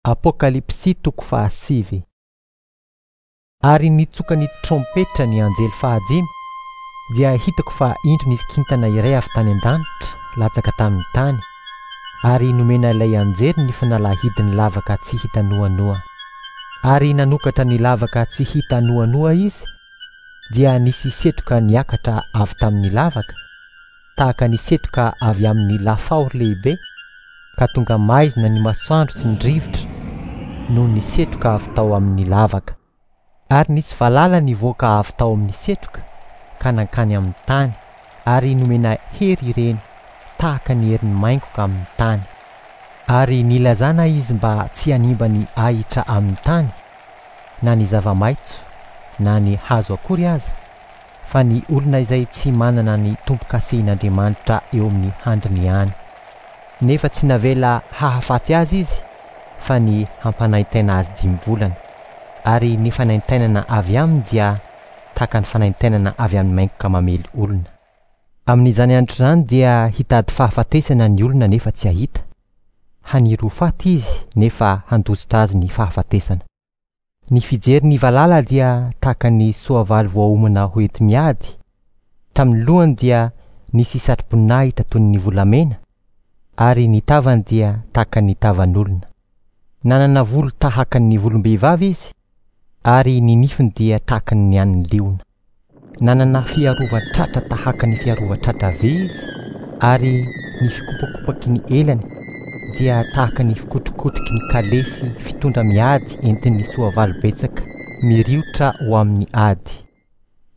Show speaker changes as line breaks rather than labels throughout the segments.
Apokalypsy toko fahasivy. Ary nitsoka ny trompetra ny anjely fahadimy, dia hitako fa indro nisy kintana iray avy tany an-danitra latsaka tamin'ny tany, ary nomena ilay anjely ny fanalahidin'ny lavaka tsy hita noanoa. Ary nanokatra ny lavaka tsy hita noanoa izy, dia nisy setroka niakatra avy tamin'ny lavaka, tahaka ny setroka avy amin'ny lafaoro lehibe, ka tonga maizina ny masoandro sy ny rivotra noho ny setroka avy tao amin'ny lavaka. Ary nisy valala nivoaka avy tao amin'ny setroka ka nankany amin'ny tany, ary nomena hery ireny tahaka ny herin'ny maingoka amin'ny tany. Ary nilazana izy mba tsy hanimba ny ahitra amin'ny tany, na ny zava-maitso, na ny hazo akory aza, fa ny olona izay tsy manana ny tombo-kasehin'Andriamanitra eo amin'ny handriny ihany. Nefa tsy navela hahafaty azy izy, fa ny hampanaintaina azy dimy volana. Ary ny fanaintainana avy aminy dia tahaka ny fanaintainana avy amin'ny maingoka mamely olona. Amin'izany andro izany dia hitady fahafatesana ny olona nefa tsy hahita. Haniry ho faty izy nefa handositra azy ny fahafatesana. Ny fijery ny valala dia tahaka ny soavaly voaomana ho enti-miady. Tamin'ny lohany dia nisy satroboninahitra toy ny volamena, ary ny tavany dia tahaka ny tavan'olona. Nanana volo tahaka ny volom-behivavy izy, ary ny nifiny dia tahaka ny an'ny liona. Nanana fiarovan-tratra tahaka ny fiarovan-tratra vy izy, ary ny fikopakopaky ny elany dia tahaka ny fikotrokotroky ny kalesy fitondra miady entin'ny soavaly betsaka miriotra ho amin'ny ady.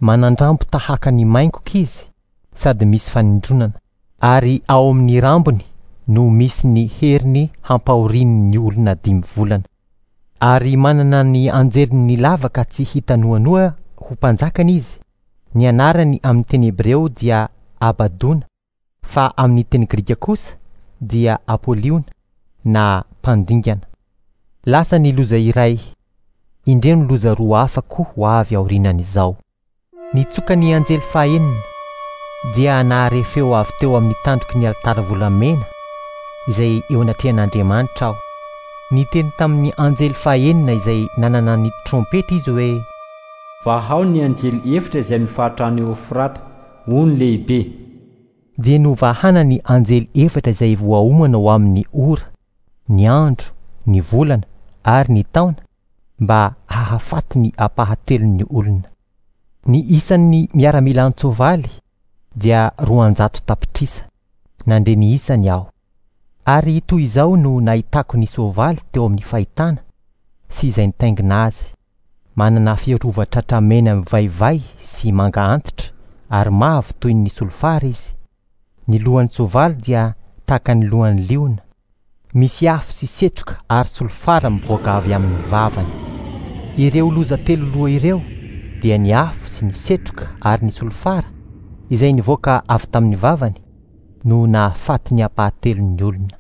Manan-drambo tahaka ny maingoka izy sady misy fanindronana, ary ao amin'ny rambony no misy ny heriny hampahoriany ny olona dimy volana. Ary manana ny anjeliny lavaka tsy hita noanoa ho mpanjakany izy. Ny anarany amin'ny teny hebreo dia Abadona, fa amin'ny teny grika kosa dia Apoliona na mpandingana. Lasa ny loza iray, indreo ny loza roa hafa koa ho avy aorianan'izao. Nitsoka ny anjely fahenina, dia nahare feo avy teo amin'ny tandroky ny alitara volamena izay eo anatrehan'Andriamanitra aho. Niteny tamin'ny anjely fahenina izay nanana ny trompetra izy hoe.
Vahao ny anjely efitra izay mifaritra any Eofrata, ony lehibe.
Dia novahana ny anjely efatra izay voaomana ho amin'ny ora, ny andro, ny volana ary ny taona mba hahafaty ny ampahatelon'ny olona. Ny isan'ny miaramila an-tsoavaly dia 200 tapitrisa. Nandre ny isany aho. Ary toy izao no nahitako ny soavaly teo amin'ny fahitana sy izay nitaingina azy, manana fiarovan-tratra mena mivaivay sy manga antitra ary mavo toy ny solifara izy. Ny lohan'ny soavaly dia tahaka ny lohan'ny liona. Misy afo sy setroka ary solifara mivoaka avy amin'ny vavany. Ireo loza telo loha ireo dia ny afo sy ny setroka ary ny solifara izay nivoaka avy tamin'ny vavany no nahafaty ny ampahatelon'ny olona.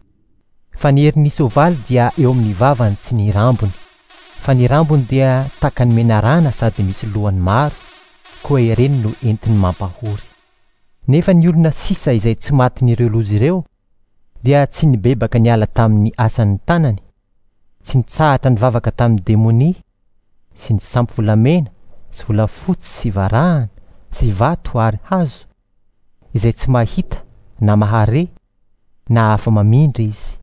Fa ny herin'ny soavaly dia eo amin'ny vavany sy ny rambony. Fa ny rambony dia tahaka ny menarana sady misy lohany maro, koa ireny no entiny mampahory. Nefa ny olona sisa izay tsy matin'ireo loza ireo dia tsy nibebaka niala tamin'ny asan'ny tanany, tsy nitsahatra nivavaka tamin'ny demonia sy ny sampy volamena sy volafotsy sy varahana sy vato ary hazo, izay tsy mahita na mahare na afa-mamindra izy.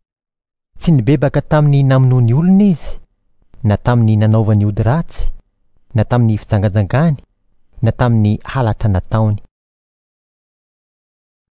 Tsy nibebaka tamin'ny namonoany olona izy, na tamin'ny nanaovany ody ratsy, na tamin'ny fijangajangany, na tamin'ny halatra nataony.